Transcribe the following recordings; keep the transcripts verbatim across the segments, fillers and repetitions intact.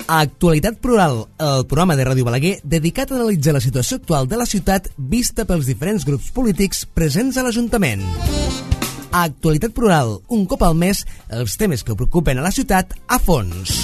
A Actualitat Plural, el programa de Ràdio Balaguer dedicat a analitzar la situació actual de la ciutat vista pels diferents grups polítics presents a l'Ajuntament. A Actualitat Plural, un cop al mes, els temes que preocupen a la ciutat a fons.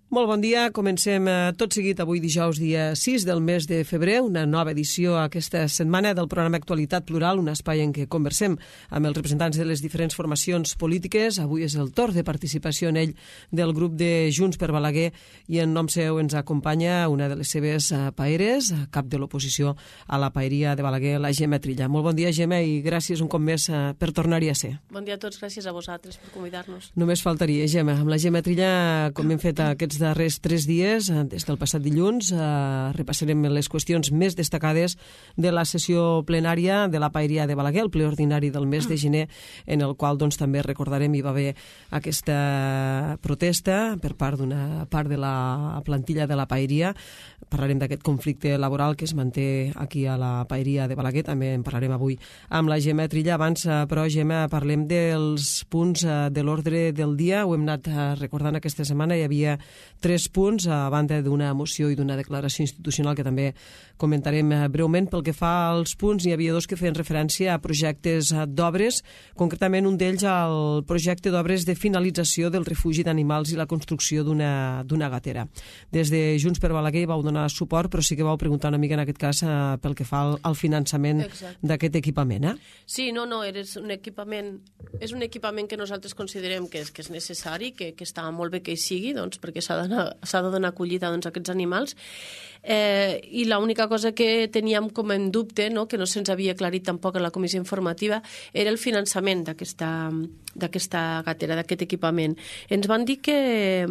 Molt bon dia, comencem tot seguit avui dijous dia sis del mes de febrer, una nova edició aquesta setmana del programa Actualitat Plural, un espai en què conversem amb els representants de les diferents formacions polítiques. Avui és el torn de participació en ell del grup de Junts per Balaguer i en nom seu ens acompanya una de les seves paeres, cap de l'oposició a la paeria de Balaguer, la Gemma Trilla. Molt bon dia, Gemma, i gràcies un cop més per tornar-hi a ser. Bon dia a tots, gràcies a vosaltres per convidar-nos. Només faltaria, Gemma. Amb la Gemma Trilla, com hem fet aquests darrers tres dies, des del passat dilluns, eh, repassarem les qüestions més destacades de la sessió plenària de la paeria de Balaguer, el ple ordinari del mes de gener, en el qual doncs, també recordarem hi va haver aquesta protesta per part d'una part de la plantilla de la paeria. Parlarem d'aquest conflicte laboral que es manté aquí a la paeria de Balaguer, també en parlarem avui amb la Gemma Trilla. Abans, però, Gemma, parlem dels punts de l'ordre del dia. Ho hem anat recordant aquesta setmana, hi havia tres punts, a banda d'una moció i d'una declaració institucional que també comentarem breument. Pel que fa als punts, hi havia dos que feien referència a projectes d'obres, concretament un d'ells al projecte d'obres de finalització del refugi d'animals i la construcció d'una d'una gatera. Des de Junts per Balaguer vau donar suport, però sí que vau preguntar una mica en aquest cas pel que fa al, al finançament d'aquest equipament. Eh? Sí, no, no, és un equipament, és un equipament que nosaltres considerem que és, que és necessari, que, que està molt bé que hi sigui, doncs, perquè s'ha s'ha de donar acollida doncs, a aquests animals. Eh, I l'única cosa que teníem com en dubte, no, que no se'ns havia aclarit tampoc a la comissió informativa, era el finançament d'aquesta d'aquesta gatera, d'aquest equipament. Ens van dir que,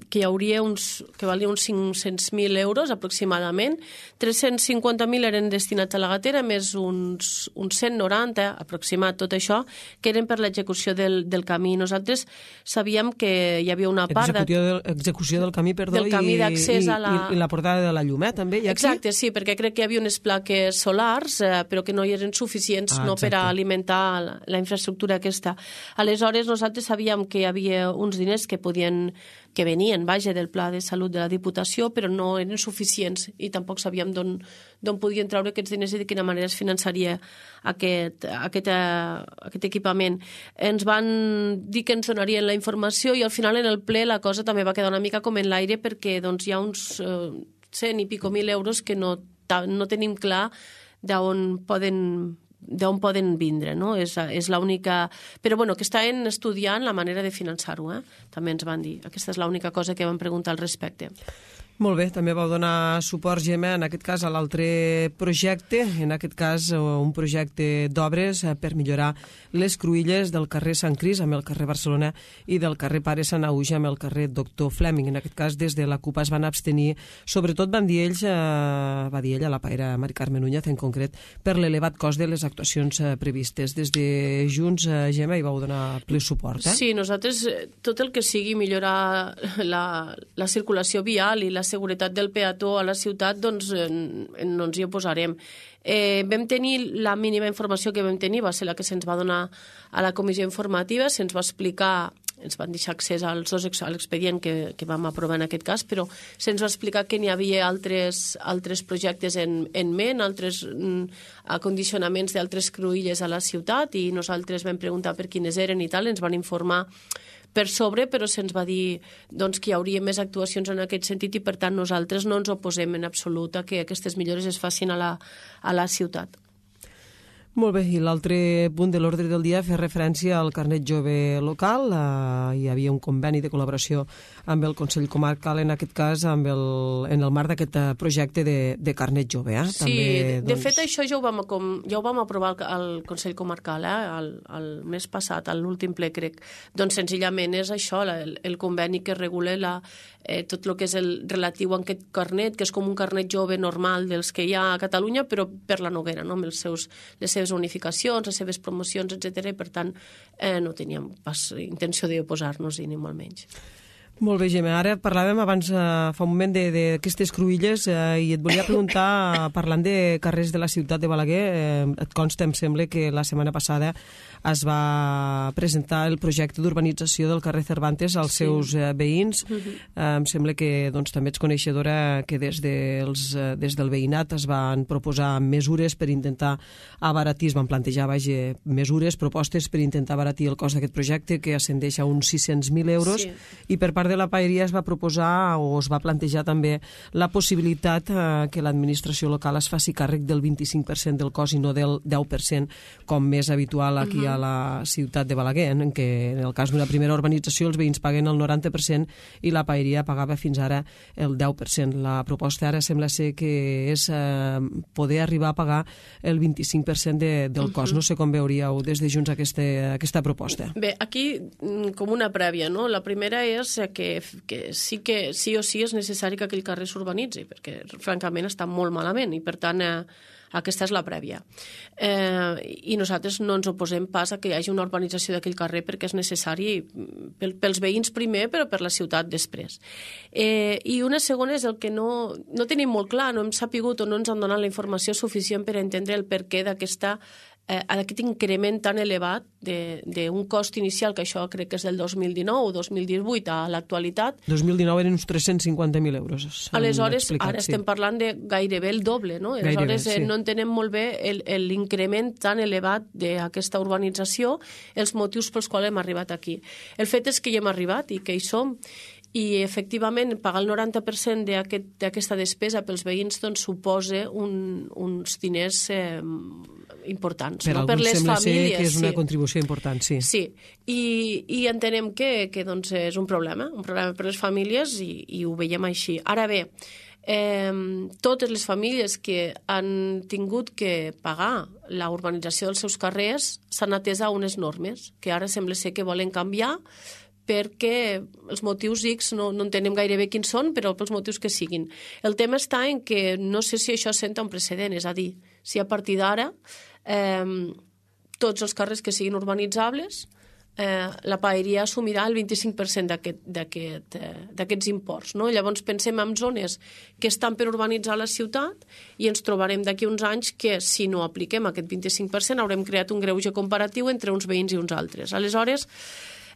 que hi hauria uns, que valia uns cinc-cents mil euros aproximadament, tres-cents cinquanta mil eren destinats a la gatera, més uns, uns cent noranta aproximat, tot això, que eren per l'execució del, del camí. Nosaltres sabíem que hi havia una part... Execució, de, execució del camí, perdó, del camí d'accés a la... i, i la portada de la llum, eh, també? Ja exacte, aquí? Sí, perquè crec que hi havia unes plaques solars, eh, però que no hi eren suficients ah, no per a alimentar la, la infraestructura aquesta. Aleshores, nosaltres sabíem que hi havia uns diners que podien que venien, vaja, del Pla de Salut de la Diputació, però no eren suficients i tampoc sabíem d'on podien treure aquests diners i de quina manera es finançaria aquest, aquest, aquest equipament. Ens van dir que ens donarien la informació i al final en el ple la cosa també va quedar una mica com en l'aire perquè doncs, hi ha uns eh, cent i pico mil euros que no, no tenim clar d'on poden d'on poden vindre, no? És, és l'única... Però, bueno, que estan estudiant la manera de finançar-ho, eh? També ens van dir. Aquesta és l'única cosa que vam preguntar al respecte. Molt bé, també vau donar suport, Gemma, en aquest cas a l'altre projecte, en aquest cas un projecte d'obres per millorar les cruïlles del carrer Sant Cris amb el carrer Barcelona i del carrer Pare Sant Auja amb el carrer Doctor Fleming. En aquest cas, des de la CUP es van abstenir, sobretot van dir ells, eh, va dir ella, la paera Mari Carmen Núñez en concret, per l'elevat cost de les actuacions eh, previstes. Des de Junts, eh, Gemma, hi vau donar ple suport, eh? Sí, nosaltres, tot el que sigui millorar la, la circulació vial i la seguretat del peató a la ciutat, doncs en, en, no ens hi oposarem. Eh, vam tenir, la mínima informació que vam tenir va ser la que se'ns va donar a la comissió informativa, se'ns va explicar, ens van deixar accés als dos a l'expedient que, que vam aprovar en aquest cas, però se'ns va explicar que n'hi havia altres, altres projectes en, en ment, altres mm, acondicionaments d'altres cruïlles a la ciutat i nosaltres vam preguntar per quines eren i tal, ens van informar per sobre, però se'ns va dir doncs, que hi hauria més actuacions en aquest sentit i per tant nosaltres no ens oposem en absolut a que aquestes millores es facin a la, a la ciutat. Molt bé, i l'altre punt de l'ordre del dia fa referència al carnet jove local. Uh, hi havia un conveni de col·laboració amb el Consell Comarcal, en aquest cas amb el, en el marc d'aquest projecte de, de carnet jove. Eh? Sí, També, de, doncs... de fet això ja ho vam, com, ja ho vam aprovar al Consell Comarcal eh? el, el mes passat, a l'últim ple crec. Doncs senzillament és això, el, el conveni que regula la, eh, tot el que és el relatiu a aquest carnet, que és com un carnet jove normal dels que hi ha a Catalunya, però per la Noguera, no? Amb els seus, les seves unificacions, les seves promocions, etcètera. I per tant eh, no teníem pas intenció d'oposar-nos-hi, ni molt menys. Molt bé, Gemma. Ara parlàvem abans, eh, fa un moment, d'aquestes cruïlles eh, i et volia preguntar, parlant de carrers de la ciutat de Balaguer, eh, et consta, em sembla, que la setmana passada es va presentar el projecte d'urbanització del carrer Cervantes als sí. seus eh, veïns. Uh-huh. eh, em sembla que doncs, també ets coneixedora que des, dels, eh, des del veïnat es van proposar mesures per intentar abaratir, es van plantejar vaja, mesures, propostes per intentar abaratir el cost d'aquest projecte, que ascendeix a uns sis-cents mil euros, sí. i per part de la paeria es va proposar o es va plantejar també la possibilitat eh, que l'administració local es faci càrrec del vint-i-cinc per cent del cost i no del deu per cent, com més habitual aquí uh-huh. a la ciutat de Balaguer, en què en el cas d'una primera urbanització els veïns paguen el noranta per cent i la paeria pagava fins ara el deu per cent. La proposta ara sembla ser que és eh, poder arribar a pagar el vint-i-cinc per cent de, del cost. Uh-huh. No sé com veuríeu des de Junts aquesta, aquesta proposta. Bé, aquí com una prèvia, no? La primera és que Que, que sí que sí o sí és necessari que aquell carrer s'urbanitzi, perquè francament està molt malament i per tant eh, aquesta és la prèvia. Eh, I nosaltres no ens oposem pas a que hi hagi una urbanització d'aquell carrer perquè és necessari pel, pels veïns primer, però per la ciutat després. Eh, I una segona és el que no, no tenim molt clar, no hem sapigut o no ens han donat la informació suficient per entendre el perquè d'aquesta eh, aquest increment tan elevat d'un cost inicial, que això crec que és del dos mil dinou o dos mil divuit a l'actualitat. dos mil dinou eren uns tres-cents cinquanta mil euros. Aleshores, ara sí. estem parlant de gairebé el doble, no? Aleshores, gairebé, sí. no entenem molt bé l'increment tan elevat d'aquesta urbanització, els motius pels quals hem arribat aquí. El fet és que hi hem arribat i que hi som, i efectivament pagar el noranta per cent d'aquesta aquest, despesa pels veïns doncs, suposa un, uns diners eh, importants. Per no? alguns per les sembla famílies, ser que és una sí. contribució important, sí. Sí, i, i entenem que, que doncs, és un problema, un problema per les famílies i, i ho veiem així. Ara bé, eh, totes les famílies que han tingut que pagar la urbanització dels seus carrers s'han atès a unes normes que ara sembla ser que volen canviar perquè els motius X no, no entenem gairebé quins són, però pels motius que siguin. El tema està en que no sé si això senta un precedent, és a dir, si a partir d'ara eh, tots els carrers que siguin urbanitzables eh, la paeria assumirà el vint-i-cinc per cent d'aquests aquest, eh, imports. No? Llavors pensem en zones que estan per urbanitzar la ciutat i ens trobarem d'aquí uns anys que si no apliquem aquest vint-i-cinc per cent haurem creat un greuge comparatiu entre uns veïns i uns altres. Aleshores,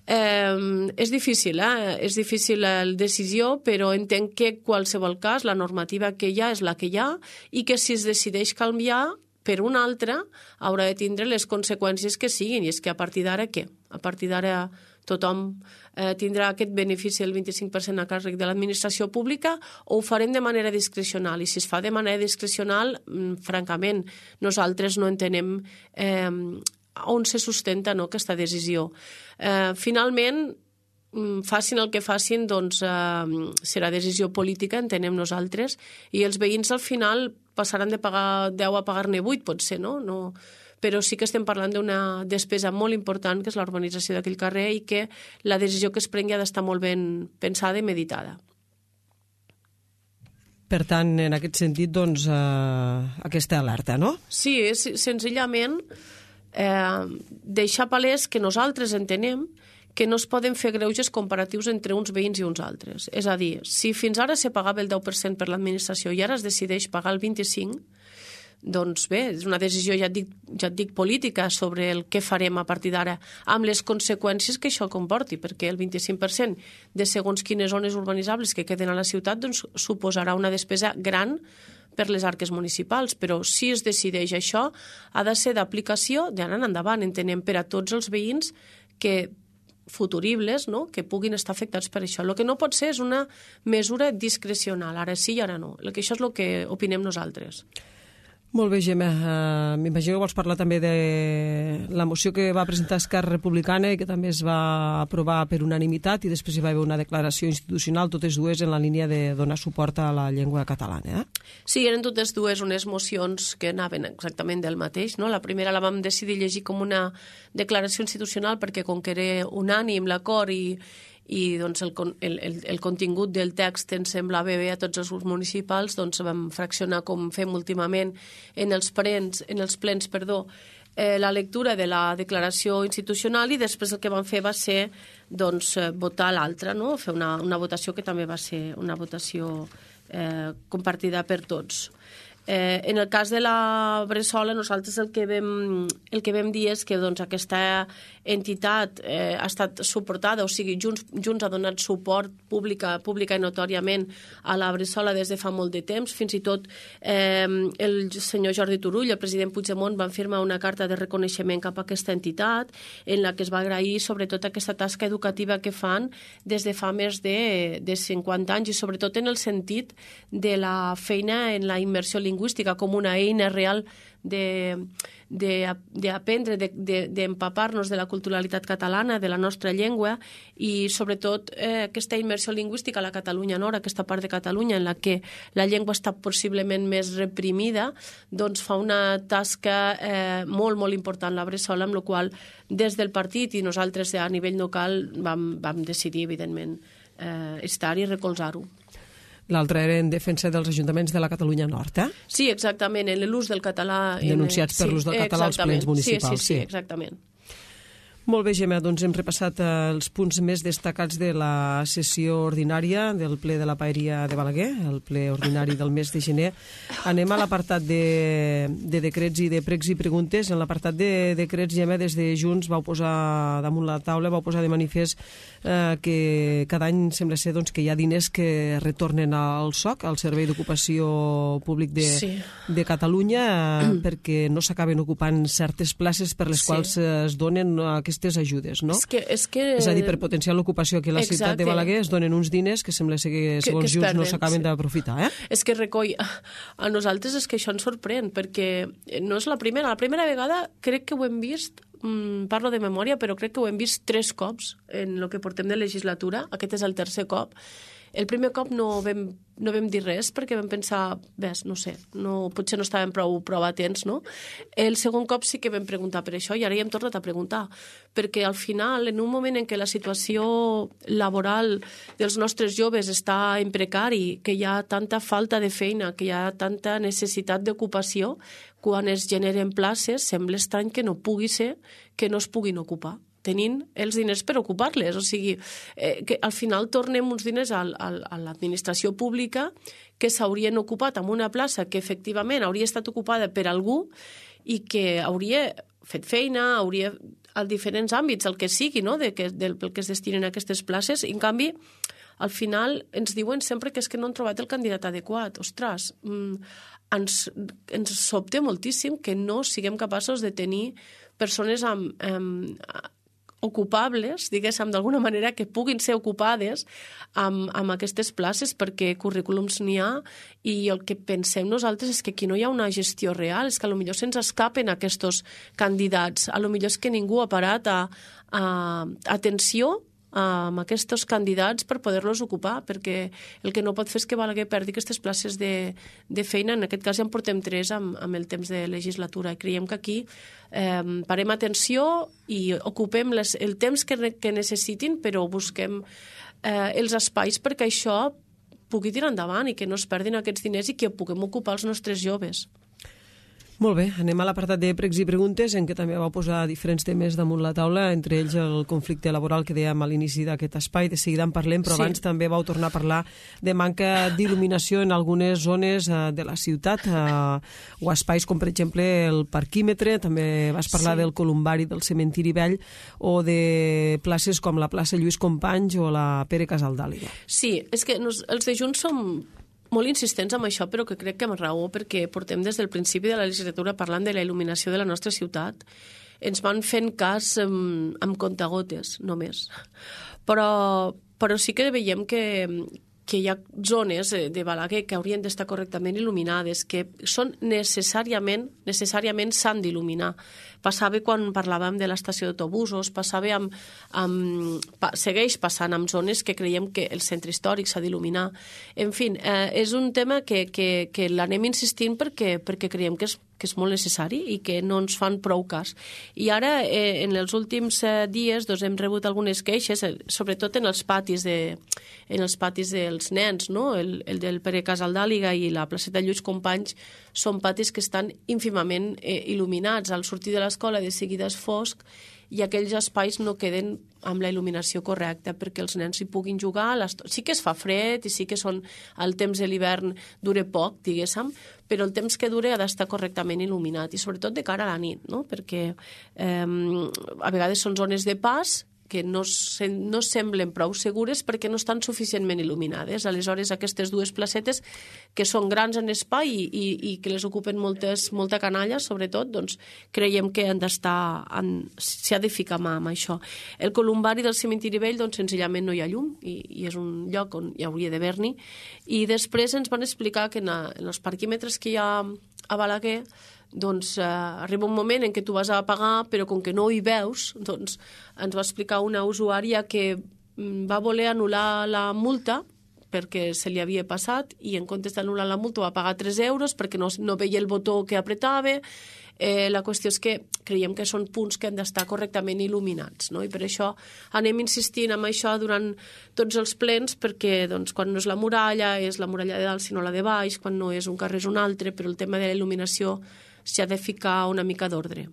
Eh, és difícil, eh? és difícil la decisió, però entenc que qualsevol cas la normativa que hi ha és la que hi ha i que si es decideix canviar per una altra haurà de tindre les conseqüències que siguin, i és que a partir d'ara què? A partir d'ara tothom eh, tindrà aquest benefici del vint-i-cinc per cent a càrrec de l'administració pública o ho farem de manera discrecional? I si es fa de manera discrecional, mm, francament, nosaltres no entenem eh, on se sustenta no, aquesta decisió. Eh, finalment, facin el que facin, doncs eh, serà decisió política, entenem nosaltres, i els veïns al final passaran de pagar deu a pagar-ne vuit, potser, no? no? Però sí que estem parlant d'una despesa molt important, que és la urbanització d'aquell carrer, i que la decisió que es prengui ha d'estar molt ben pensada i meditada. Per tant, en aquest sentit, doncs, eh, aquesta alerta, no? Sí, és, senzillament eh, deixar palès que nosaltres entenem que no es poden fer greuges comparatius entre uns veïns i uns altres. És a dir, si fins ara se pagava el deu per cent per l'administració i ara es decideix pagar el vint-i-cinc per cent, doncs bé, és una decisió, ja et dic, ja et dic política sobre el que farem a partir d'ara, amb les conseqüències que això comporti, perquè el vint-i-cinc per cent de segons quines zones urbanitzables que queden a la ciutat doncs, suposarà una despesa gran per les arques municipals, però si es decideix això, ha de ser d'aplicació d'ara en endavant, entenem, per a tots els veïns que futuribles, no? que puguin estar afectats per això. El que no pot ser és una mesura discrecional, ara sí i ara no. El que això és el que opinem nosaltres. Molt bé, Gemma. Uh, M'imagino que vols parlar també de la moció que va presentar Esquerra Republicana i que també es va aprovar per unanimitat i després hi va haver una declaració institucional, totes dues en la línia de donar suport a la llengua catalana. Eh? Sí, eren totes dues unes mocions que anaven exactament del mateix. No? La primera la vam decidir llegir com una declaració institucional perquè com que era unànim l'acord i i doncs, el, el, el, el contingut del text ens semblava bé a tots els grups municipals, doncs vam fraccionar com fem últimament en els plens, en els plens perdó, eh, la lectura de la declaració institucional i després el que van fer va ser doncs, votar l'altra, no? Fer una, una votació que també va ser una votació eh, compartida per tots. Eh, en el cas de la Bressola, nosaltres el que vam, el que vam dir és que doncs, aquesta entitat eh, ha estat suportada, o sigui, Junts, Junts ha donat suport pública, pública i notòriament a la Bressola des de fa molt de temps. Fins i tot eh, el senyor Jordi Turull, el president Puigdemont, van firmar una carta de reconeixement cap a aquesta entitat en la que es va agrair sobretot aquesta tasca educativa que fan des de fa més de, de cinquanta anys i sobretot en el sentit de la feina en la immersió lingüística lingüística com una eina real d'aprendre, d'empapar-nos de la culturalitat catalana, de la nostra llengua i sobretot eh, aquesta immersió lingüística a la Catalunya Nord, aquesta part de Catalunya en la que la llengua està possiblement més reprimida, doncs fa una tasca eh, molt, molt important la Bressola, amb la qual des del partit i nosaltres a nivell local vam, vam decidir, evidentment, eh, estar i recolzar-ho. L'altre era en defensa dels ajuntaments de la Catalunya Nord, eh? Sí, exactament, en l'ús del català... Denunciats per l'ús del català als plens municipals. Sí, sí, sí, exactament. Molt bé, Gemma, doncs hem repassat els punts més destacats de la sessió ordinària del ple de la Paeria de Balaguer, el ple ordinari del mes de gener. Anem a l'apartat de, de decrets i de pregs i preguntes. En l'apartat de decrets, Gemma, des de Junts vau posar damunt la taula, vau posar de manifest eh, que cada any sembla ser doncs, que hi ha diners que retornen al S O C, al Servei d'Ocupació Públic de, sí. de Catalunya, eh, perquè no s'acaben ocupant certes places per les sí. quals es donen aquestes aquestes ajudes, no? És, que, és, que... és a dir, per potenciar l'ocupació aquí a la Exacte. ciutat de Balaguer es donen uns diners que sembla ser que, segons que, que Junts, no s'acaben sí. d'aprofitar, eh? És que recoll... A nosaltres és que això ens sorprèn, perquè no és la primera. La primera vegada crec que ho hem vist, mmm, parlo de memòria, però crec que ho hem vist tres cops en el que portem de legislatura. Aquest és el tercer cop. El primer cop no vam, no vam dir res perquè vam pensar, ves, no sé, no, potser no estàvem prou, prou atents, no? El segon cop sí que vam preguntar per això i ara ja hem tornat a preguntar, perquè al final, en un moment en què la situació laboral dels nostres joves està en precari, que hi ha tanta falta de feina, que hi ha tanta necessitat d'ocupació, quan es generen places, sembla estrany que no pugui ser que no es puguin ocupar tenint els diners per ocupar-les. O sigui, eh, que al final tornem uns diners al, al, a l'administració pública que s'haurien ocupat en una plaça que efectivament hauria estat ocupada per algú i que hauria fet feina, hauria a diferents àmbits, el que sigui, no? de que, del pel que es destinen aquestes places. I, en canvi, al final ens diuen sempre que és que no han trobat el candidat adequat. Ostres, mm, ens, ens sobta moltíssim que no siguem capaços de tenir persones amb... amb ocupables, diguéssim, d'alguna manera, que puguin ser ocupades amb, amb aquestes places, perquè currículums n'hi ha i el que pensem nosaltres és que aquí no hi ha una gestió real, és que potser se'ns escapen aquests candidats, potser és que ningú ha parat a, a atenció amb aquests candidats per poder-los ocupar, perquè el que no pot fer és que Balaguer perdi aquestes places de, de feina. En aquest cas ja en portem tres amb, amb el temps de legislatura i creiem que aquí eh, parem atenció i ocupem les, el temps que, que necessitin, però busquem eh, els espais perquè això pugui tirar endavant i que no es perdin aquests diners i que puguem ocupar els nostres joves. Molt bé, anem a l'apartat de pregs i preguntes, en què també vau posar diferents temes damunt la taula, entre ells el conflicte laboral que dèiem a l'inici d'aquest espai. De seguida en parlem, però sí. abans també vau tornar a parlar de manca d'il·luminació en algunes zones eh, de la ciutat, eh, o espais com, per exemple, el parquímetre, també vas parlar sí. del columbari del cementiri vell, o de places com la plaça Lluís Companys o la Pere Casaldàliga. Sí, és que nos, els de Junts som molt insistents amb això, però que crec que amb raó, perquè portem des del principi de la legislatura parlant de la il·luminació de la nostra ciutat. Ens van fent cas amb, amb contagotes, només. Però, però sí que veiem que, que hi ha zones de Balaguer que haurien d'estar correctament il·luminades, que són necessàriament, necessàriament s'han d'il·luminar. Passava quan parlàvem de l'estació d'autobusos, passava amb, amb, pa, segueix passant amb zones que creiem que el centre històric s'ha d'il·luminar. En fi, eh, és un tema que, que, que l'anem insistint perquè, perquè creiem que és que és molt necessari i que no ens fan prou cas. I ara, eh, en els últims eh, dies, doncs, hem rebut algunes queixes, eh, sobretot en els patis de, en els patis dels nens, no? El, el del Pere Casaldàliga i la placeta Lluís Companys són patis que estan ínfimament eh, il·luminats. Al sortir de l'escola de seguida és fosc i aquells espais no queden amb la il·luminació correcta perquè els nens hi puguin jugar. Sí que es fa fred i sí que són, el temps de l'hivern dura poc, diguéssim, però el temps que dura ha d'estar correctament il·luminat i sobretot de cara a la nit, no? Perquè eh, a vegades són zones de pas que no, se, no semblen prou segures perquè no estan suficientment il·luminades. Aleshores, aquestes dues placetes, que són grans en espai i, i, i que les ocupen moltes, molta canalla, sobretot, doncs creiem que han d'estar, s'ha de ficar mà amb això. El columbari del cementiri vell, doncs senzillament no hi ha llum i, i és un lloc on hi hauria d'haver-n'hi. I després ens van explicar que en, a, en els parquímetres que hi ha a Balaguer, doncs eh, arriba un moment en què tu vas a pagar, però com que no hi veus, doncs ens va explicar una usuària que va voler anul·lar la multa perquè se li havia passat i en comptes d'anul·lar la multa va pagar tres euros perquè no, no veia el botó que apretava. Eh, la qüestió és que creiem que són punts que han d'estar correctament il·luminats, no? I per això anem insistint en això durant tots els plens perquè doncs, quan no és la muralla és la muralla de dalt sinó la de baix, quan no és un carrer és un altre, però el tema de la il·luminació s'ha de ficar una mica d'ordre.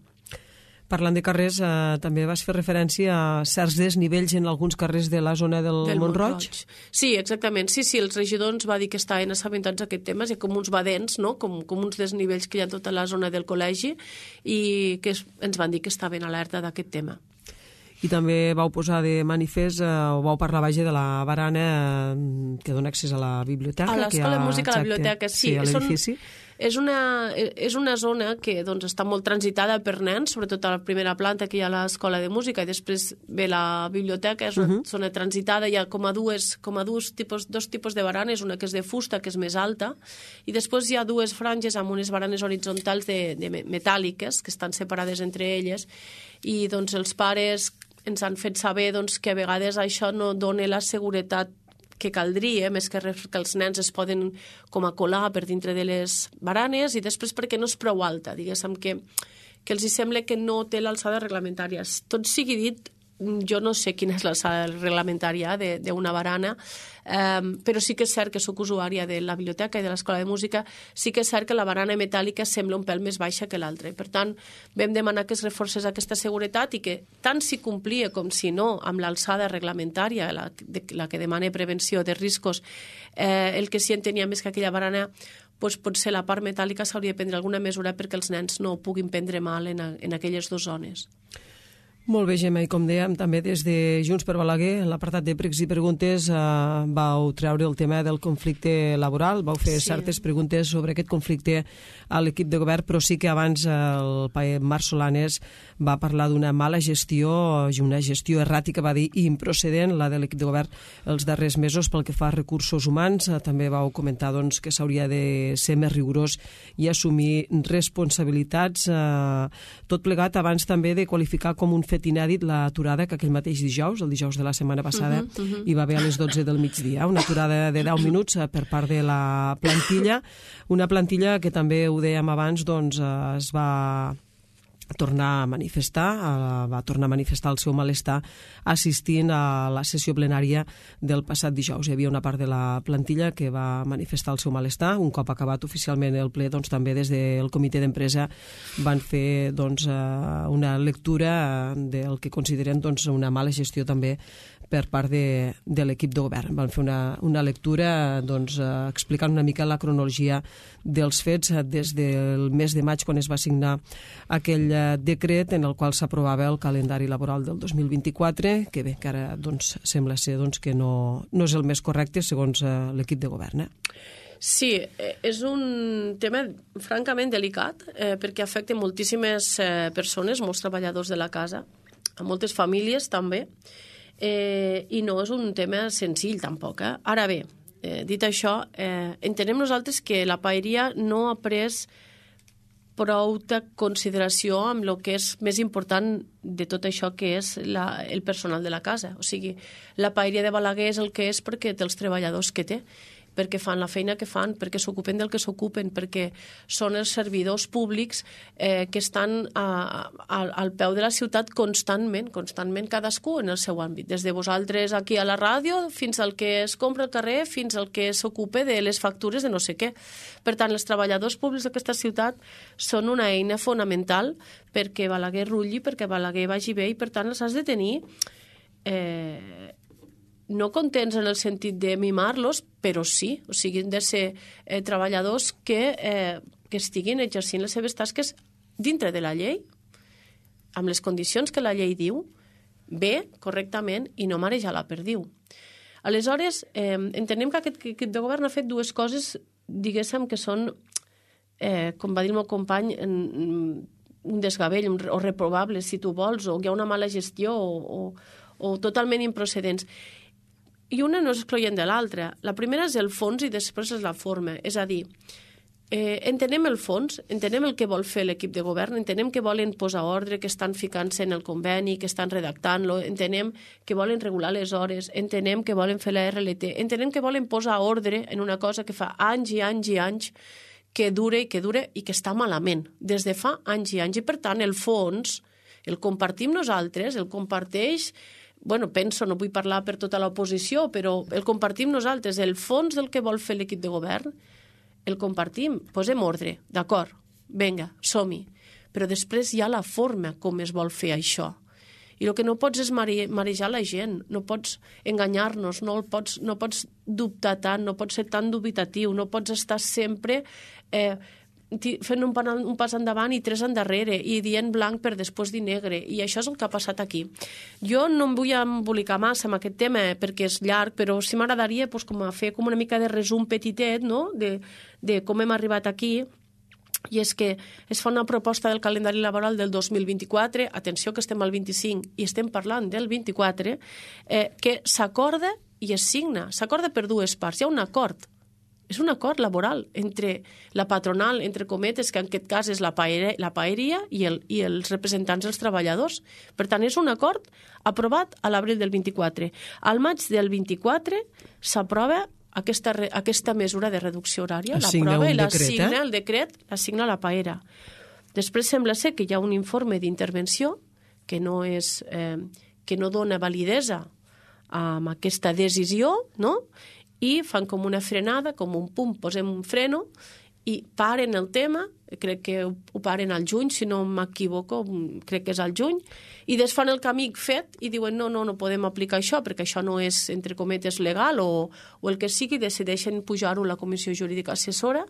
Parlant de carrers, eh, també vas fer referència a certs desnivells en alguns carrers de la zona del, del Mont-roig? Mont-roig. Sí, exactament. Sí, sí, els regidors ens va dir que estaven assabentats d'aquest tema, hi ha com uns badents, no? com, com uns desnivells que hi ha a tota la zona del col·legi i que es, ens van dir que estaven alerta d'aquest tema. I també vau posar de manifest, eh, o vau parlar, vaja, de la barana eh, que dona accés a la biblioteca. A l'Escola de Música, a la biblioteca, sí. Sí, a l'edifici. És una, és una zona que doncs, està molt transitada per nens, sobretot a la primera planta que hi ha l'Escola de Música i després ve la biblioteca, és una uh -huh. zona transitada, hi ha com a, dues, com a dos, tipus, dos tipus de baranes, una que és de fusta, que és més alta, i després hi ha dues franges amb unes baranes horitzontals de, de metàl·liques que estan separades entre elles i doncs, els pares ens han fet saber doncs, que a vegades això no dona la seguretat que caldria, més que res que els nens es poden com a colar per dintre de les baranes i després perquè no és prou alta, diguéssim que, que els hi sembla que no té l'alçada reglamentària. Tot sigui dit, jo no sé quina és l'alçada reglamentària d'una barana, eh, però sí que és cert que soc usuària de la biblioteca i de l'Escola de Música, sí que és cert que la barana metàl·lica sembla un pèl més baixa que l'altra. Per tant, vam demanar que es reforcés aquesta seguretat i que tant si complia com si no amb l'alçada reglamentària, la, de, la que demana prevenció de riscos, eh, el que sí entenia més que aquella barana doncs potser la part metàl·lica s'hauria de prendre alguna mesura perquè els nens no puguin prendre mal en, a, en aquelles dues zones. Molt bé, Gemma, i com dèiem, també des de Junts per Balaguer, en l'apartat de pregs i preguntes, eh, vau treure el tema del conflicte laboral, vau fer sí. certes preguntes sobre aquest conflicte a l'equip de govern, però sí que abans el paer Marc Solanes va parlar d'una mala gestió, una gestió erràtica, va dir, i improcedent, la de l'equip de govern els darrers mesos pel que fa a recursos humans. Eh, també vau comentar doncs, que s'hauria de ser més rigorós i assumir responsabilitats, eh, tot plegat abans també de qualificar com un fet inèdit l'aturada que aquell mateix dijous, el dijous de la setmana passada, uh -huh, uh -huh. hi va haver a les dotze del migdia, una aturada de deu minuts per part de la plantilla, una plantilla que també ho dèiem abans, doncs es va tornar a manifestar, va tornar a manifestar el seu malestar assistint a la sessió plenària del passat dijous. Hi havia una part de la plantilla que va manifestar el seu malestar. Un cop acabat oficialment el ple, doncs, també des del comitè d'empresa van fer doncs, una lectura del que consideren doncs, una mala gestió també per part de, de l'equip de govern. Van fer una, una lectura doncs, explicant una mica la cronologia dels fets des del mes de maig quan es va signar aquell decret en el qual s'aprovava el calendari laboral del dos mil vint-i-quatre, que bé, que ara doncs, sembla ser doncs, que no, no és el més correcte segons eh, l'equip de govern. Eh? Sí, és un tema francament delicat eh, perquè afecta moltíssimes eh, persones, molts treballadors de la casa, a moltes famílies també, eh, i no és un tema senzill tampoc. Eh? Ara bé, eh, dit això, eh, entenem nosaltres que la paeria no ha pres prou de consideració amb el que és més important de tot això que és la, el personal de la casa. O sigui, la paeria de Balaguer és el que és perquè té els treballadors que té. perquè fan la feina que fan, perquè s'ocupen del que s'ocupen, perquè són els servidors públics eh, que estan a, a, al peu de la ciutat constantment, constantment cadascú en el seu àmbit, des de vosaltres aquí a la ràdio fins al que es compra al carrer, fins al que s'ocupa de les factures de no sé què. Per tant, els treballadors públics d'aquesta ciutat són una eina fonamental perquè Balaguer rulli, perquè Balaguer vagi bé, i per tant els has de tenir eh, no contents en el sentit de mimar-los, però sí, o sigui, han de ser eh, treballadors que, eh, que estiguin exercint les seves tasques dintre de la llei, amb les condicions que la llei diu, bé, correctament, i no marejar la perdiu. Aleshores, eh, entenem que aquest equip de govern ha fet dues coses, diguéssim, que són, eh, com va dir el meu company, en, un desgavell o reprobables, si tu vols, o hi ha una mala gestió o, o, o totalment improcedents. I una no és excloent de l'altra. La primera és el fons i després és la forma. És a dir, eh, entenem el fons, entenem el que vol fer l'equip de govern, entenem que volen posar ordre, que estan ficant-se en el conveni, que estan redactant-lo, entenem que volen regular les hores, entenem que volen fer la R L T, entenem que volen posar ordre en una cosa que fa anys i anys i anys que dure i que dure i que està malament, des de fa anys i anys. I per tant, el fons el compartim nosaltres, el comparteix... Bueno, penso, no vull parlar per tota l'oposició, però el compartim nosaltres. El fons del que vol fer l'equip de govern, el compartim. Posem ordre, d'acord, vinga, som-hi. Però després hi ha la forma com es vol fer això. I el que no pots és mare, marejar la gent, no pots enganyar-nos, no, pots, no pots dubtar tant, no pots ser tan dubitatiu, no pots estar sempre... Eh, fent un, un pas endavant i tres endarrere i dient blanc per després dir negre, i això és el que ha passat aquí. Jo no em vull embolicar massa amb aquest tema perquè és llarg, però sí m'agradaria pues, com a fer com una mica de resum petitet, no? de, de com hem arribat aquí, i és que es fa una proposta del calendari laboral del dos mil vint-i-quatre, atenció que estem al vint-i-cinc i estem parlant del vint-i-quatre, eh, que s'acorda i es signa, s'acorda per dues parts, hi ha un acord. És un acord laboral entre la patronal, entre cometes, que en aquest cas és la, paeria, la paeria i, el, i els representants dels treballadors. Per tant, és un acord aprovat a l'abril del vint-i-quatre. Al maig del vint-i-quatre s'aprova aquesta, aquesta mesura de reducció horària. L'aprova i la signa, eh? el decret, la signa la paera. Després sembla ser que hi ha un informe d'intervenció que no, és, eh, que no dona validesa a aquesta decisió, no?, i fan com una frenada, com un pum, posem un freno i paren el tema, crec que ho paren al juny, si no m'equivoco, crec que és al juny, i des fan el camí fet i diuen no, no, no podem aplicar això perquè això no és, entre cometes, legal o, o el que sigui, decideixen pujar-ho a la Comissió Jurídica Assessora.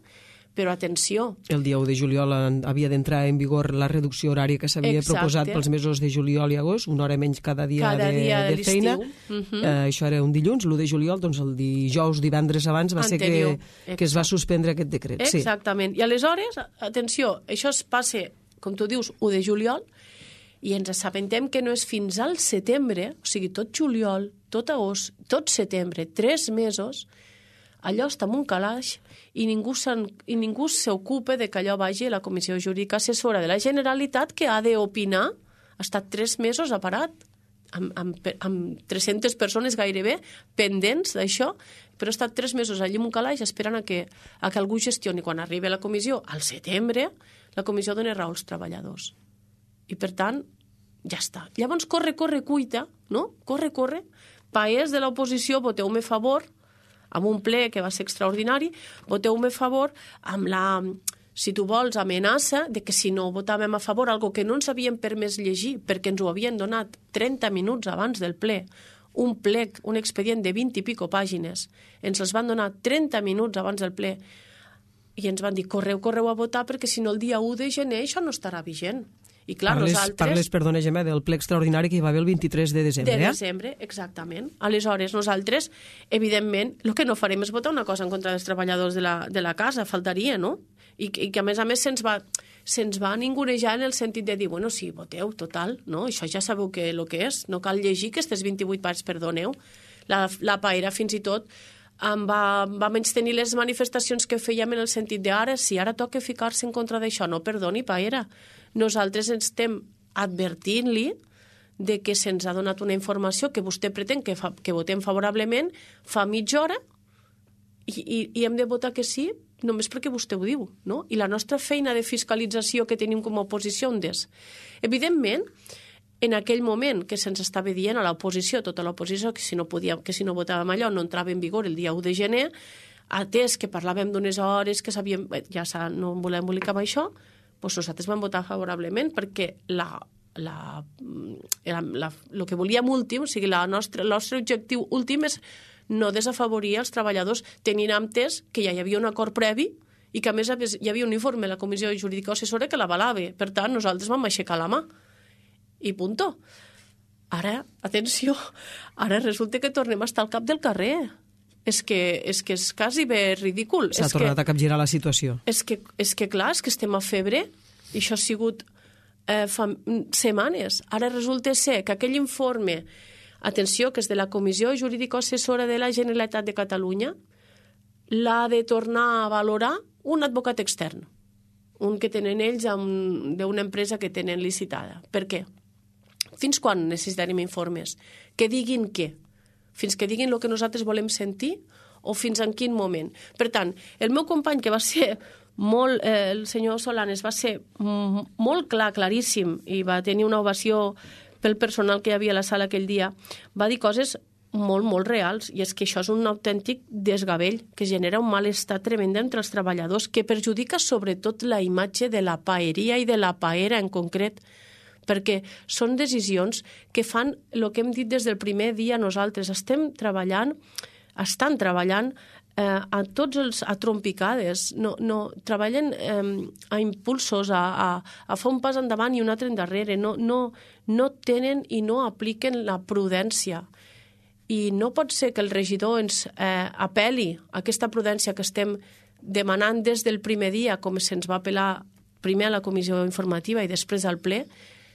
Però atenció... El dia u de juliol havia d'entrar en vigor la reducció horària que s'havia proposat pels mesos de juliol i agost, una hora menys cada dia, cada de, dia de, de feina. Uh -huh. eh, això era un dilluns, l'u de juliol, doncs el dijous, divendres abans va Anterior. ser que, que es va suspendre aquest decret. Exactament. Sí. I aleshores, atenció, això es passa, com tu dius, u de juliol, i ens assabentem que no és fins al setembre, o sigui, tot juliol, tot agost, tot setembre, tres mesos, allò està en un calaix i ningú, i ningú s'ocupa de que allò vagi a la Comissió Jurídica Assessora de la Generalitat, que ha d'opinar. Ha estat tres mesos a parat, amb, amb, amb tres-centes persones gairebé pendents d'això, però ha estat tres mesos allí en un calaix esperant a que, a que algú gestioni. Quan arribi a la comissió, al setembre, la comissió dona raó als treballadors. I, per tant, ja està. Llavors, corre, corre, cuita, no? Corre, corre. Paers de l'oposició, voteu-me a favor, amb un ple que va ser extraordinari, voteu-me a favor amb la, si tu vols, amenaça de que si no votàvem a favor, algo que no ens havien permès llegir, perquè ens ho havien donat trenta minuts abans del ple, un plec, un expedient de vint i pico pàgines, ens els van donar trenta minuts abans del ple, i ens van dir, correu, correu a votar, perquè si no el dia u de gener això no estarà vigent. I clar, parles, nosaltres... Parles, perdona, Gemma, del ple extraordinari que hi va haver el vint-i-tres de desembre. De desembre, exactament. Aleshores, nosaltres, evidentment, el que no farem és votar una cosa en contra dels treballadors de la, de la casa, faltaria, no? I, i que, a més a més, se'ns va, se'ns va ningunejar en el sentit de dir, bueno, sí, voteu, total, no? Això ja sabeu que el que és, no cal llegir aquestes vint-i-vuit parts, perdoneu. La, la paera, fins i tot, em va, va menystenir les manifestacions que fèiem en el sentit de ara, si ara toca ficar-se en contra d'això, no, perdoni, paera. Nosaltres ens estem advertint-li de que se'ns ha donat una informació que vostè pretén que, fa, que votem favorablement fa mitja hora i, i, i hem de votar que sí només perquè vostè ho diu, no? I la nostra feina de fiscalització que tenim com a oposició, on és? Evidentment, en aquell moment que se'ns estava dient a l'oposició, tota l'oposició, que si no podíem, que si no votàvem allò no entrava en vigor el dia u de gener, atès que parlàvem d'unes hores que sabíem, ja no volem embolicar amb això, doncs nosaltres vam votar favorablement perquè la, la, la, la, el que volíem últim, o sigui, la nostra, el nostre objectiu últim és no desafavorir els treballadors tenint entès que ja hi havia un acord previ i que a més hi havia un informe de la Comissió Jurídica Assessora que l'avalava. Per tant, nosaltres vam aixecar la mà. I punto. Ara, atenció, ara resulta que tornem a estar al cap del carrer. És que és, que és quasi bé ridícul. S'ha tornat a capgirar la situació. És que, és que clar, és que estem a febre i això ha sigut eh, fa setmanes. Ara resulta ser que aquell informe, atenció, que és de la Comissió Jurídica Assessora de la Generalitat de Catalunya, l'ha de tornar a valorar un advocat extern, un que tenen ells d'una empresa que tenen licitada. Per què? Fins quan necessitarem informes? Que diguin què? Fins que diguin el que nosaltres volem sentir o fins en quin moment? Per tant, el meu company, que va ser molt, eh, el senyor Solanes, va ser molt clar, claríssim, i va tenir una ovació pel personal que hi havia a la sala aquell dia, va dir coses molt, molt reals, i és que això és un autèntic desgavell que genera un malestar tremend entre els treballadors, que perjudica sobretot la imatge de la paeria i de la paera en concret, perquè són decisions que fan el que hem dit des del primer dia nosaltres. Estem treballant, estan treballant eh, a tots els a trompicades, no, no, treballen eh, a impulsos, a, a, a fer un pas endavant i un altre endarrere, no, no, no tenen i no apliquen la prudència. I no pot ser que el regidor ens eh, apel·li a aquesta prudència que estem demanant des del primer dia, com se'ns va apel·lar primer a la comissió informativa i després al ple,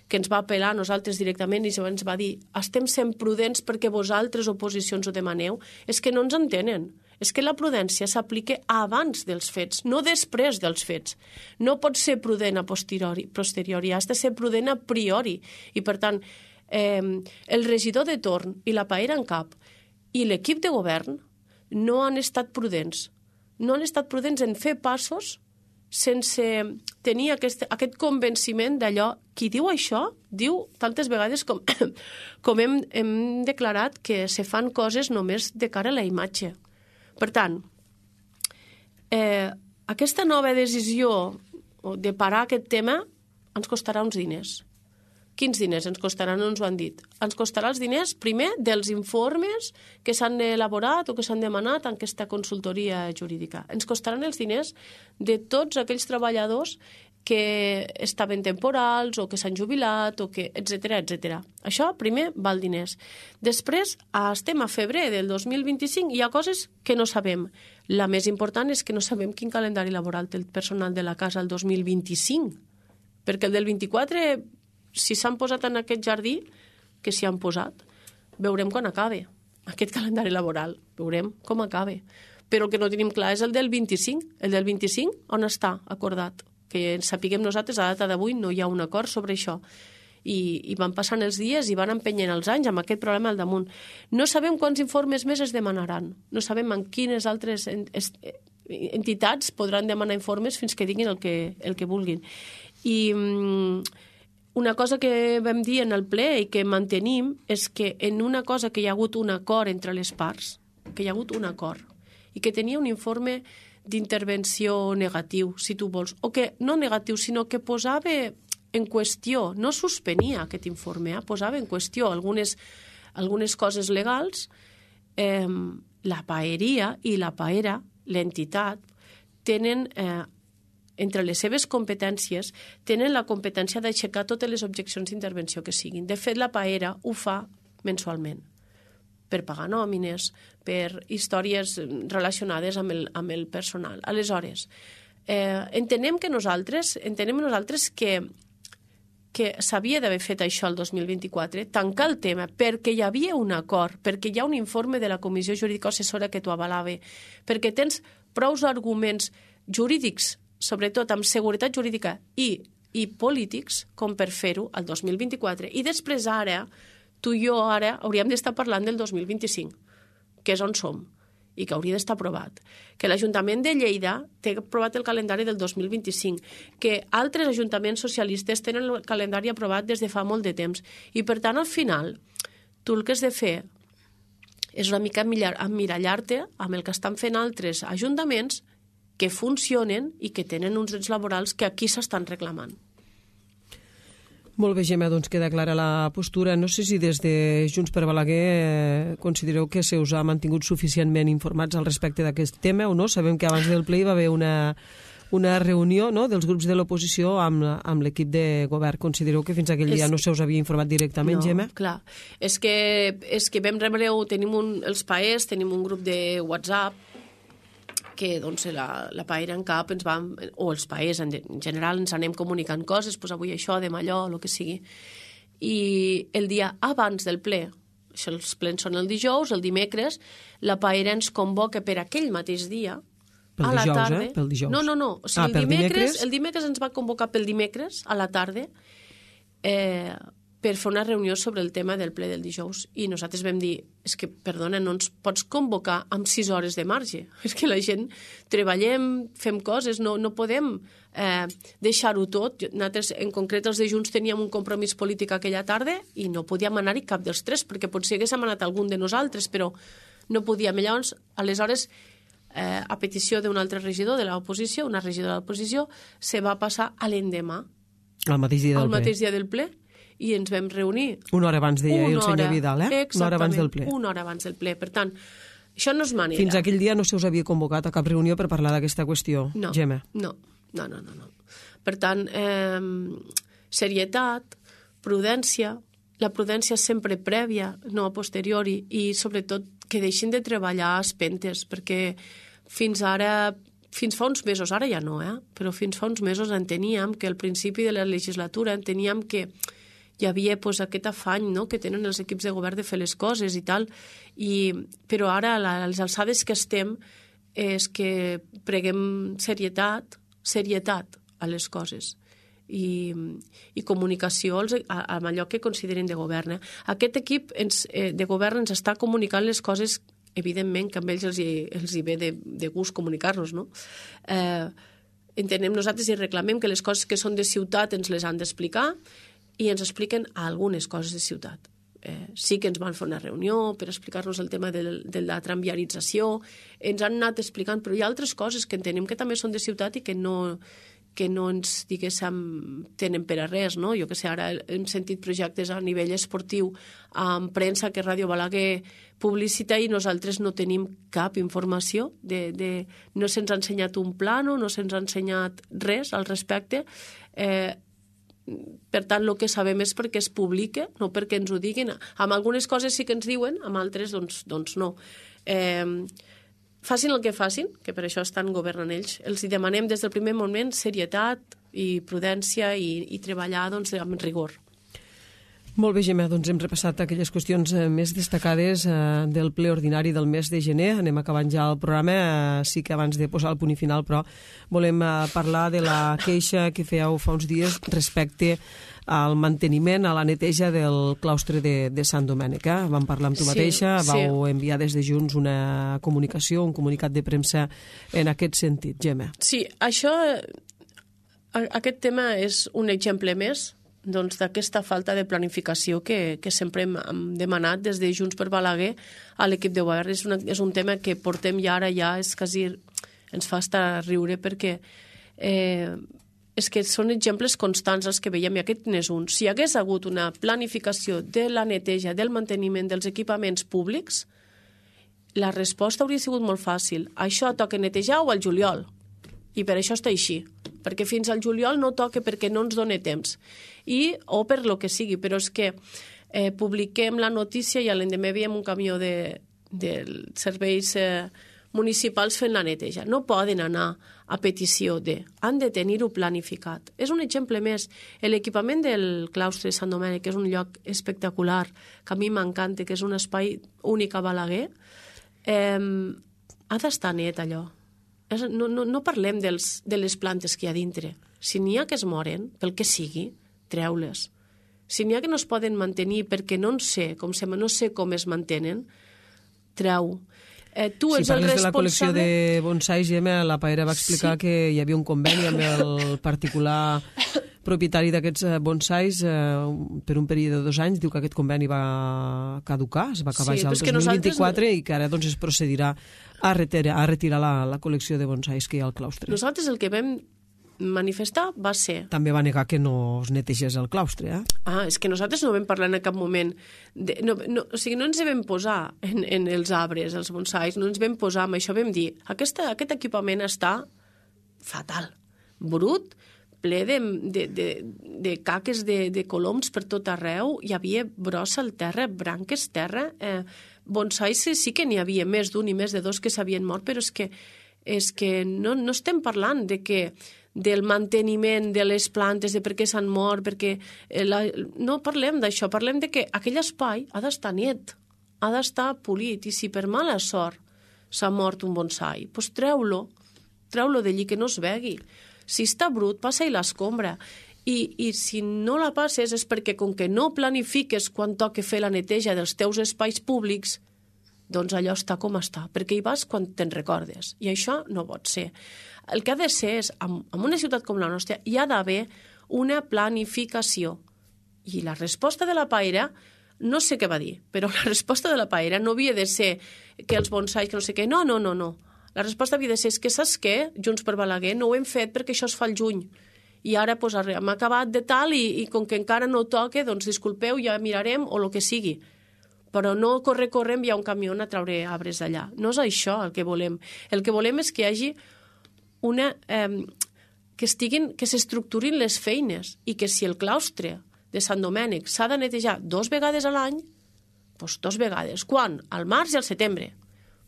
que ens va apel·lar a nosaltres directament i ens va dir estem sent prudents perquè vosaltres oposicions ho demaneu. És que no ens entenen. És que la prudència s'aplica abans dels fets, no després dels fets. No pot ser prudent a posteriori, posteriori, has de ser prudent a priori. I, per tant, eh, el regidor de torn i la paera en cap i l'equip de govern no han estat prudents. No han estat prudents en fer passos sense tenir aquest, aquest convenciment d'allò. Qui diu això, diu tantes vegades com, com hem, hem declarat que se fan coses només de cara a la imatge. Per tant, eh, aquesta nova decisió de parar aquest tema ens costarà uns diners. Quins diners ens costaran? No ens ho han dit. Ens costarà els diners, primer, dels informes que s'han elaborat o que s'han demanat en aquesta consultoria jurídica. Ens costaran els diners de tots aquells treballadors que estaven temporals o que s'han jubilat, o que etcètera, etcètera. Això, primer, val diners. Després, estem a febrer del dos mil vint-i-cinc i hi ha coses que no sabem. La més important és que no sabem quin calendari laboral té el personal de la casa el dos mil vint-i-cinc, perquè el del vint-i-quatre... si s'han posat en aquest jardí, que s'hi han posat, veurem quan acabe aquest calendari laboral, veurem com acabe. Però el que no tenim clar és el del vint-i-cinc. El del vint-i-cinc, on està acordat? Que sapiguem nosaltres, a data d'avui no hi ha un acord sobre això. I, i van passant els dies i van empenyent els anys amb aquest problema al damunt. No sabem quants informes més es demanaran. No sabem en quines altres entitats podran demanar informes fins que diguin el que, el que vulguin. I... una cosa que vam dir en el ple i que mantenim és que en una cosa que hi ha hagut un acord entre les parts, que hi ha hagut un acord, i que tenia un informe d'intervenció negatiu, si tu vols, o que no negatiu, sinó que posava en qüestió, no suspenia aquest informe, eh? Posava en qüestió algunes, algunes coses legals, eh, la paeria i la paera, l'entitat, tenen... Eh, entre les seves competències, tenen la competència d'aixecar totes les objeccions d'intervenció que siguin. De fet, la paera ho fa mensualment, per pagar nòmines, per històries relacionades amb el, amb el personal. Aleshores, eh, entenem que nosaltres, entenem nosaltres que, que s'havia d'haver fet això el dos mil vint-i-quatre, tancar el tema, perquè hi havia un acord, perquè hi ha un informe de la Comissió Jurídica Assessora que t'ho avalava, perquè tens prous arguments jurídics, sobretot amb seguretat jurídica i, i polítics, com per fer-ho el dos mil vint-i-quatre. I després ara, tu i jo ara hauríem d'estar parlant del dos mil vint-i-cinc, que és on som. i que hauria d'estar aprovat, que l'Ajuntament de Lleida té aprovat el calendari del dos mil vint-i-cinc, que altres ajuntaments socialistes tenen el calendari aprovat des de fa molt de temps. I, per tant, al final, tu el que has de fer és una mica emmirallar-te amb el que estan fent altres ajuntaments que funcionen i que tenen uns drets laborals que aquí s'estan reclamant. Molt bé, Gemma, doncs queda clara la postura. No sé si des de Junts per Balaguer eh, considereu que se us ha mantingut suficientment informats al respecte d'aquest tema o no. Sabem que abans del ple hi va haver una, una reunió, no?, dels grups de l'oposició amb, amb l'equip de govern. Considereu que fins aquell dia és... no se us havia informat directament, no, Gemma? Clar. És que, és que vam rebre, tenim un, els P A E S, tenim un grup de WhatsApp que doncs, la, la Paera en cap ens vam, o els paers en, en general ens anem comunicant coses, doncs avui això, demà allò, el que sigui. I el dia abans del ple, això, els plens són el dijous, el dimecres, la Paera ens convoca per aquell mateix dia, pel a la dijous, tarda. Eh? Pel dijous. No, no, no. O sigui, ah, el, dimecres, dimecres... el dimecres ens va convocar pel dimecres, a la tarda, eh, per fer una reunió sobre el tema del ple del dijous. I nosaltres vam dir, és que, perdona, no ens pots convocar amb sis hores de marge. És que la gent treballem, fem coses, no, no podem eh, deixar-ho tot. Nosaltres, en concret, els de Junts teníem un compromís polític aquella tarda i no podíem anar-hi cap dels tres, perquè potser haguéssim anat algun de nosaltres, però no podíem. Llavors, aleshores, eh, a petició d'un altre regidor de l'oposició, una regidora de l'oposició, se va passar a l'endemà. Al mateix dia del ple. Al mateix dia del ple. I ens vam reunir. Una hora abans, deia el senyor hora, Vidal, eh? Una hora abans del ple. Una hora abans del ple. Per tant, això no és manera. Fins aquell dia no se us havia convocat a cap reunió per parlar d'aquesta qüestió, no, Gemma? No, no, no, no, no. Per tant, eh, serietat, prudència, la prudència sempre prèvia, no a posteriori, i sobretot que deixin de treballar a espentes, perquè fins ara, fins fa uns mesos, ara ja no, eh? Però fins fa uns mesos enteníem que al principi de la legislatura enteníem que hi havia pues, aquest afany, no?, que tenen els equips de govern de fer les coses i tal, i, però ara a les alçades que estem és que preguem serietat, serietat a les coses i, i comunicació als, a, amb allò que consideren de govern. Eh? Aquest equip ens, eh, de govern ens està comunicant les coses, evidentment que amb ells els hi, els hi ve de, de gust comunicar-nos, no? Eh, entenem nosaltres i reclamem que les coses que són de ciutat ens les han d'explicar i ens expliquen algunes coses de ciutat. Eh, sí que ens van fer una reunió per explicar-nos el tema de, de la tramviarització, ens han anat explicant, però hi ha altres coses que entenem que també són de ciutat i que no, que no ens, diguéssim, tenen per a res, no? Jo que sé, ara hem sentit projectes a nivell esportiu amb premsa que Ràdio Balaguer publicita i nosaltres no tenim cap informació, de, de, no se'ns ha ensenyat un plano, no se'ns ha ensenyat res al respecte. Eh, Per tant, el que sabem és perquè es publica, no perquè ens ho diguin. Amb algunes coses sí que ens diuen, amb altres doncs, doncs no. Eh, facin el que facin, que per això estan governant ells. Els hi demanem des del primer moment serietat i prudència i, i treballar doncs, amb rigor. Molt bé, Gemma, doncs hem repassat aquelles qüestions més destacades eh, del ple ordinari del mes de gener. Anem acabant ja el programa. Eh, sí que abans de posar el punt i final, però volem eh, parlar de la queixa que fèieu fa uns dies respecte al manteniment, a la neteja del claustre de, de Sant Domènec. Eh? Vam parlar amb tu mateixa, sí, vau sí. enviar des de Junts una comunicació, un comunicat de premsa en aquest sentit, Gemma. Sí, això, aquest tema és un exemple més doncs, d'aquesta falta de planificació que, que sempre hem, hem demanat des de Junts per Balaguer a l'equip de govern. És, una, és un tema que portem ja ara, ja és quasi, ens fa estar a riure perquè eh, és que són exemples constants els que veiem i aquest n'és un. Si hi hagués hagut una planificació de la neteja, del manteniment dels equipaments públics, la resposta hauria sigut molt fàcil. Això toca netejar o al juliol? I per això està així, perquè fins al juliol no toca perquè no ens dona temps, i, o per lo que sigui, però és que eh, publiquem la notícia i a l'endemà veiem un camió de, de serveis eh, municipals fent la neteja. No poden anar a petició de, han de tenir-ho planificat. És un exemple més. L'equipament del claustre de Sant Domènec, que és un lloc espectacular, que a mi m'encanta, que és un espai únic a Balaguer, eh, ha d'estar net allò. No, no, no parlem dels, de les plantes que hi ha dintre. Si n'hi ha que es moren, pel que sigui, treu-les. Si n'hi ha que no es poden mantenir perquè no en sé com, se, no sé com es mantenen, treu. Eh, tu si ets el parles de la col·lecció responsable... de bonsais, Gemma, la Paera va explicar Sí. que hi havia un conveni amb el particular propietari d'aquests eh, bonsais eh, per un període de dos anys. Diu que aquest conveni va caducar, es va acabar Sí, ja el però és que dos mil vint-i-quatre nosaltres- i que ara doncs, es procedirà a retirar, a retirar la, la col·lecció de bonsais que hi ha al claustre. Nosaltres el que vam manifestar va ser... També va negar que no es netegés el claustre, eh? Ah, és que nosaltres no vam parlar en cap moment... De, no, no, o sigui, no ens hi vam posar en, en els arbres, els bonsais, no ens vam posar amb això, vam dir, aquesta, aquest equipament està fatal, brut, ple de, de, de, de caques de, de coloms per tot arreu, hi havia brossa al terra, branques terra, eh, bonsais sí que n'hi havia més d'un i més de dos que s'havien mort, però és que, és que no, no estem parlant de que del manteniment de les plantes, de per què s'han mort, perquè la, no parlem d'això, parlem de que aquell espai ha d'estar net, ha d'estar polit, i si per mala sort s'ha mort un bonsai, doncs treu-lo, treu-lo d'allí que no es vegui. Si està brut, passa-hi l'escombra. I, I si no la passes és perquè com que no planifiques quan toca fer la neteja dels teus espais públics, doncs allò està com està, perquè hi vas quan te'n recordes. I això no pot ser. El que ha de ser és, en, en una ciutat com la nostra, hi ha d'haver una planificació. I la resposta de la Paera, no sé què va dir, però la resposta de la Paera no havia de ser que els bonsais, que no sé què, no, no, no, no. La resposta havia de ser, és que saps què? Junts per Balaguer no ho hem fet perquè això es fa al juny. I ara pues, hem acabat de tal i, i com que encara no toca, doncs disculpeu, ja mirarem o el que sigui. Però no corre, corre, enviar un camió a treure arbres d'allà. No és això el que volem. El que volem és que hi hagi una... Eh, que estiguin, que s'estructurin les feines i que si el claustre de Sant Domènec s'ha de netejar dos vegades a l'any, doncs dos vegades. Quan? Al març i al setembre.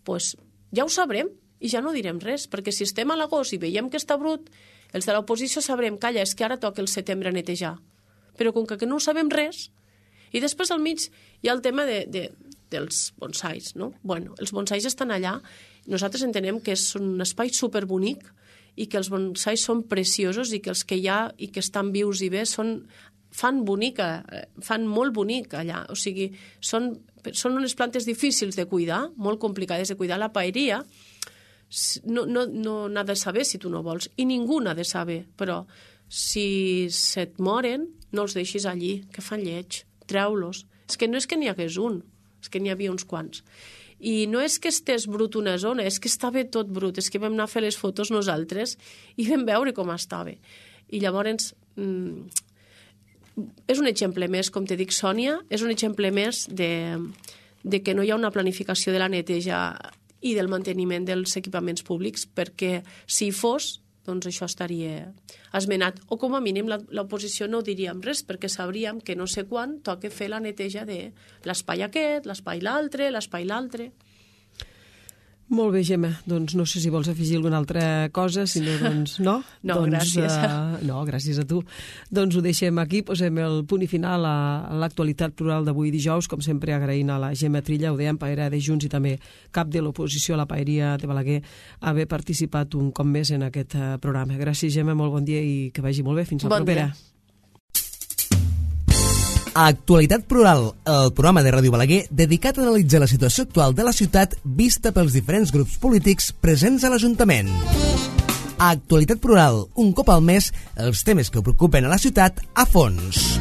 Doncs ja ho sabrem i ja no direm res, perquè si estem a l'agost i veiem que està brut, els de l'oposició sabrem, calla, és que ara toca el setembre a netejar. Però com que no ho sabem res, i després al mig hi ha el tema de, de, dels bonsais, no? Bueno, els bonsais estan allà, nosaltres entenem que és un espai superbonic i que els bonsais són preciosos i que els que hi ha i que estan vius i bé són, fan bonica, fan molt bonic allà, o sigui, són, són unes plantes difícils de cuidar, molt complicades de cuidar. La paeria no, no, no n'ha de saber si tu no vols, i ningú n'ha de saber, però si se't moren, no els deixis allí, que fan lleig, treu-los. És que no és que n'hi hagués un, és que n'hi havia uns quants. I no és que estés brut una zona, és que estava tot brut, és que vam anar a fer les fotos nosaltres i vam veure com estava. I llavors, mmm, és un exemple més, com te dic, Sònia, és un exemple més de, de que no hi ha una planificació de la neteja i del manteniment dels equipaments públics, perquè si hi fos, doncs això estaria esmenat. O com a mínim l'oposició no diríem res, perquè sabríem que no sé quan toca fer la neteja de l'espai aquest, l'espai l'altre, l'espai l'altre. Molt bé, Gemma. Doncs no sé si vols afegir alguna altra cosa, si no, doncs no. No, doncs, gràcies. Uh, no, gràcies a tu. Doncs ho deixem aquí, posem el punt i final a, a l'actualitat plural d'avui dijous, com sempre agraint a la Gemma Trilla, ho dèiem, paera de Junts i també cap de l'oposició a la paeria de Balaguer, haver participat un cop més en aquest uh, programa. Gràcies, Gemma, molt bon dia i que vagi molt bé. Fins la bon propera. Dia. Actualitat Plural, el programa de Ràdio Balaguer dedicat a analitzar la situació actual de la ciutat vista pels diferents grups polítics presents a l'Ajuntament. Actualitat Plural, un cop al mes, els temes que preocupen a la ciutat a fons.